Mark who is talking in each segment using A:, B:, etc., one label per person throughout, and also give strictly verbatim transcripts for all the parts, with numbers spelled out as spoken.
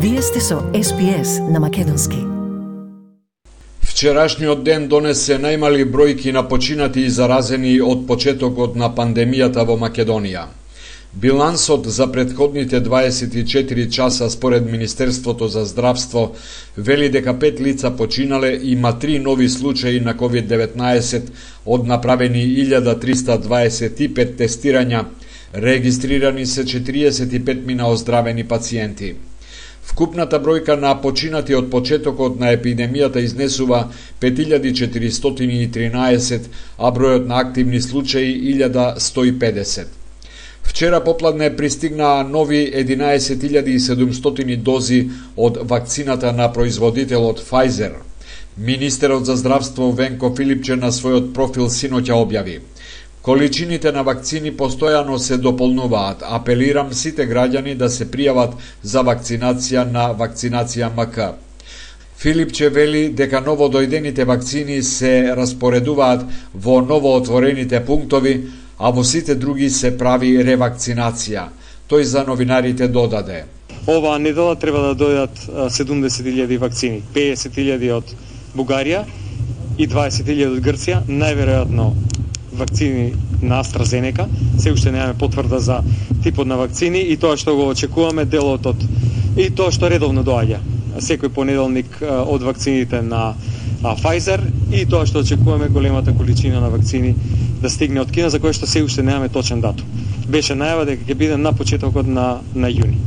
A: Вие сте со Ес Би Ес на македонски.
B: Вчерашниот ден донесе најмали бројки на починати и заразени од почетокот на пандемијата во Македонија. Билансот за претходните дваесет и четири часа според Министерството за здравство вели дека пет лица починале и има три нови случаи на ковид деветнаесет од направени илјада триста дваесет и пет тестирања, регистрирани се четириесет и пет мина оздравени пациенти. Вкупната бројка на починати од почетокот на епидемијата изнесува пет илјади четиристотини и тринаесет, а бројот на активни случаи илјада сто и педесет. Вчера попладне пристигнаа нови единаесет илјади и седумстотини дози од вакцината на производителот Pfizer. Министерот за здравство Венко Филипче на својот профил синоќа објави: количините на вакцини постојано се дополнуваат. Апелирам сите граѓани да се пријават за вакцинација на Вакцинација Ем К. Филипче вели дека новодојдените вакцини се распоредуваат во новоотворените пунктови, а во сите други се прави ревакцинација. Тој за новинарите додаде:
C: оваа недела треба да дојдат седумдесет илјади вакцини, педесет илјади од Бугарија и дваесет илјади од Грција, најверојатно вакцини на AstraZeneca. Се уште немаме потврда за типот на вакцини и тоа што го очекуваме, делот од и тоа што редовно доаѓа секој понеделник од вакцините на Pfizer и тоа што очекуваме големата количина на вакцини да стигне од Кина, за кој што се уште немаме точен датум. Беше најава дека ќе биде на почетокот на на јуни.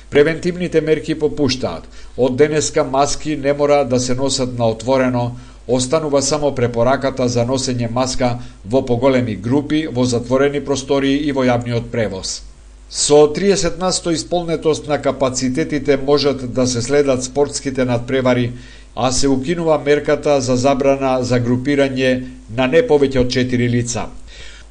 B: Превентивните мерки попуштаат. Од денеска маски не мора да се носат на отворено. Останува само препораката за носење маска во поголеми групи, во затворени простории и во јавниот превоз. Со триесет на сто исполнетост на капацитетите можат да се следат спортските надпревари, а се укинува мерката за забрана за групирање на не повеќе од четири лица.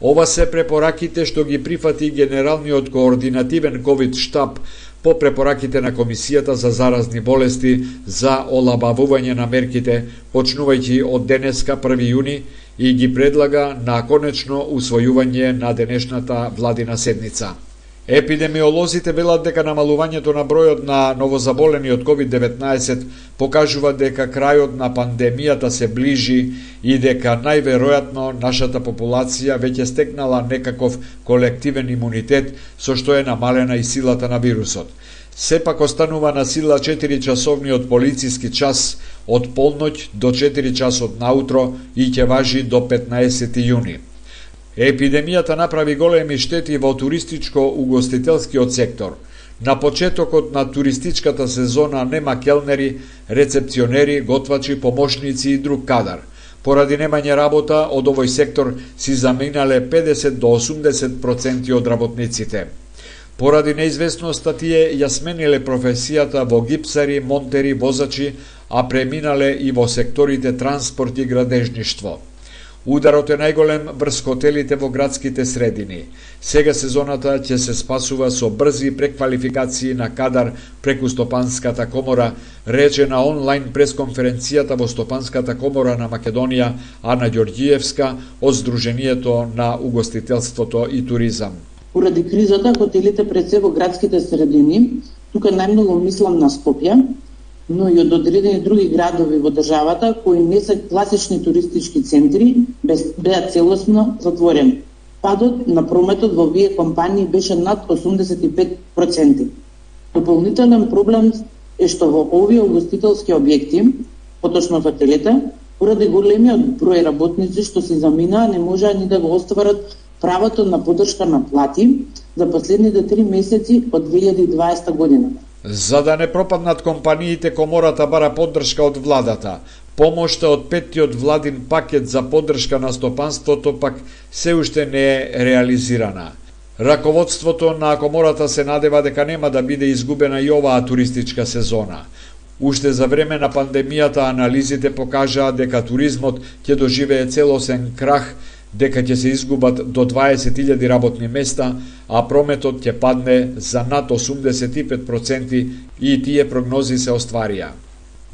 B: Ова се препораките што ги прифати Генералниот координативен ковид штаб по препораките на Комисијата за заразни болести за олабавување на мерките, почнувајќи од денеска први јуни, и ги предлага на конечно усвојување на денешната владина седница. Епидемиолозите велат дека намалувањето на бројот на новозаболени од ковид деветнаесет покажува дека крајот на пандемијата се ближи и дека најверојатно нашата популација веќе стекнала некаков колективен имунитет, со што е намалена и силата на вирусот. Сепак останува на сила четири часовниот полициски час од полноќ до четири часот наутро и ќе важи до петнаесети јуни. Епидемијата направи големи штети во туристичко-угостителскиот сектор. На почетокот на туристичката сезона нема келнери, рецепционери, готвачи, помошници и друг кадар. Поради немање работа од овој сектор си заминале педесет до осумдесет проценти од работниците. Поради неизвестноста тие ја смениле професијата во гипсари, монтери, возачи, а преминале и во секторите транспорт и градежништво. Ударот е најголем врз хотелите во градските средини. Сега сезоната ќе се спасува со брзи преквалификации на кадар преку Стопанската комора, рече на онлайн пресконференцијата во Стопанската комора на Македонија Ана Ѓорѓиевска од Сдруженијето на угостителството и туризам.
D: Поради кризата, хотелите пред се во градските средини, тука најмногу мислам на Скопје, но и од одредени други градови во државата кои не се класични туристички центри, беа целосно затворени. Падот на прометот во овие компании беше над осумдесет и пет проценти. Дополнителен проблем е што во овие угостителски објекти, поточно хотелите, поради големиот број работници што се заминаа, не можеа ни да го остварат правото на поддршка на плати за последните три месеци од две илјади и дваесета година.
B: За да не пропаднат компаниите, комората бара поддршка од владата. Помошта од петтиот владин пакет за поддршка на стопанството пак се уште не е реализирана. Раководството на комората се надева дека нема да биде изгубена и оваа туристичка сезона. Уште за време на пандемијата анализите покажаа дека туризмот ќе доживее целосен крах, дека ќе се изгубат до дваесет илјади работни места, а прометот ќе падне за над осумдесет и пет проценти и тие прогнози се остварија.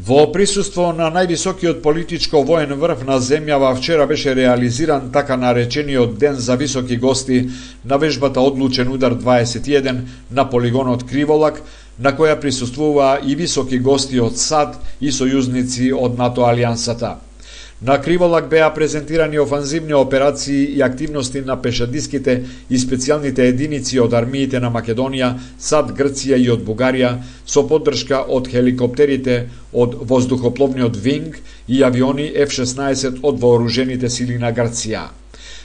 B: Во присуство на највисокиот политичко-воен врв на земјава вчера беше реализиран така наречениот Ден за високи гости на вежбата Одлучен удар дваесет и еден на полигонот Криволак, на која присуствуваа и високи гости од САД и сојузници од НАТО алијансата. На Криволак беа презентирани офанзивни операции и активности на пешадиските и специјалните единици од армиите на Македонија, САД, Грција и од Бугарија, со поддршка од хеликоптерите од воздухопловниот Винг и авиони Еф шеснаесет од вооружените сили на Грција.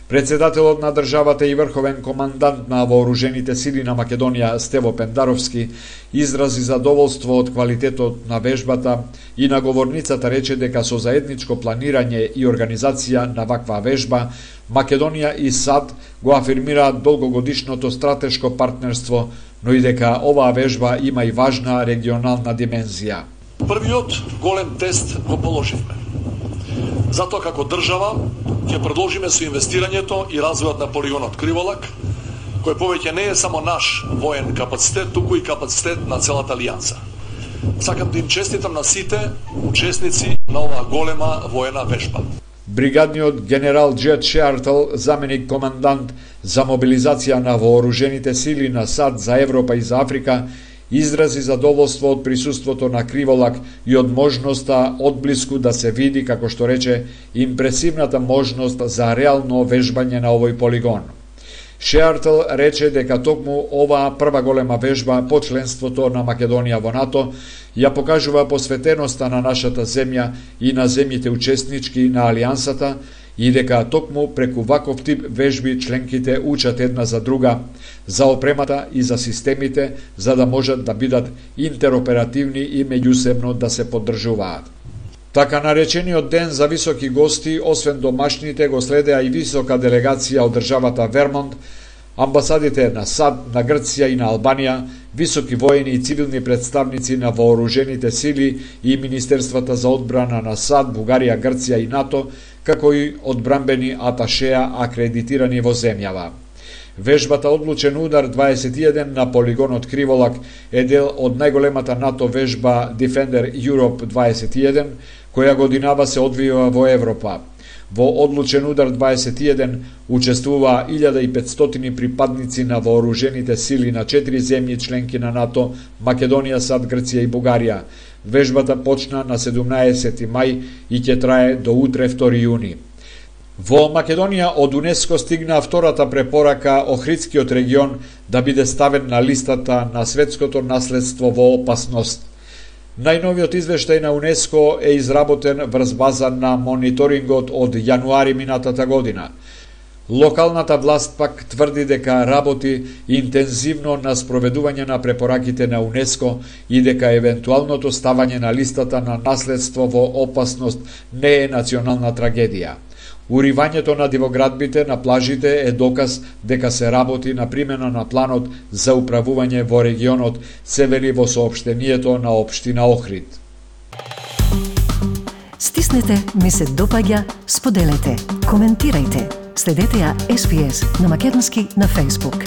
B: Председателот на државата и врховен командант на вооружените сили на Македонија Стево Пендаровски изрази задоволство од квалитетот на вежбата и на говорницата рече дека со заедничко планирање и организација на ваква вежба Македонија и САД го афирмираат долгогодишното стратешко партнерство, но и дека оваа вежба има и важна регионална димензија.
E: Првиот голем тест го положивме. Затоа како држава ќе продолжиме со инвестирањето и развојот на полигонот Криволак, кој повеќе не е само наш воен капацитет, туку и капацитет на целата алијанса. Сакам да им честитам на сите учесници на оваа голема воена вежба.
B: Бригадниот генерал Джет Шеартл, заменик командант за мобилизација на вооружените сили на САД за Европа и за Африка, изрази задоволство од присуството на Криволак и од можноста одблиску да се види, како што рече, импресивната можност за реално вежбање на овој полигон. Шеартл рече дека токму оваа прва голема вежба по членството на Македонија во НАТО ја покажува посветеноста на нашата земја и на земјите учеснички на алијансата и дека токму преку ваков тип вежби членките учат една за друга, за опремата и за системите, за да можат да бидат интероперативни и меѓусебно да се поддржуваат. Така наречениот ден за високи гости, освен домашните, го следеа и висока делегација од државата Вермонт, амбасадите на САД, на Грција и на Албанија, високи воени и цивилни представници на вооружените сили и Министерствата за одбрана на САД, Бугарија, Грција и НАТО, како и одбранбени аташеа акредитирани во земјава. Вежбата Одлучен удар дваесет и еден на полигонот Криволак е дел од најголемата НАТО вежба Defender Europe дваесет и еден, која годинава се одвива во Европа. Во Одлучен удар дваесет и еден учествуваа илјада и петстотини припадници на вооружените сили на четири земји членки на НАТО, Македонија, САД, Грција и Бугарија. Вежбата почна на седумнаесети мај и ќе трае до утре втори јуни. Во Македонија од УНЕСКО стигна втората препорака Охридскиот регион да биде ставен на листата на светското наследство во опасност. Најновиот извештај на УНЕСКО е изработен врз база на мониторингот од јануари минатата година. Локалната власт пак тврди дека работи интензивно на спроведување на препораките на УНЕСКО и дека евентуалното ставање на листата на наследство во опасност не е национална трагедија. Уривањето на дивоградбите на плажите е доказ дека се работи на примена на планот за управување во регионот, се вели во соопштението на општина Охрид.
A: Стиснете, ми се допаѓа, споделете, коментирајте. Следете ја Ес Би Ес на македонски на Facebook.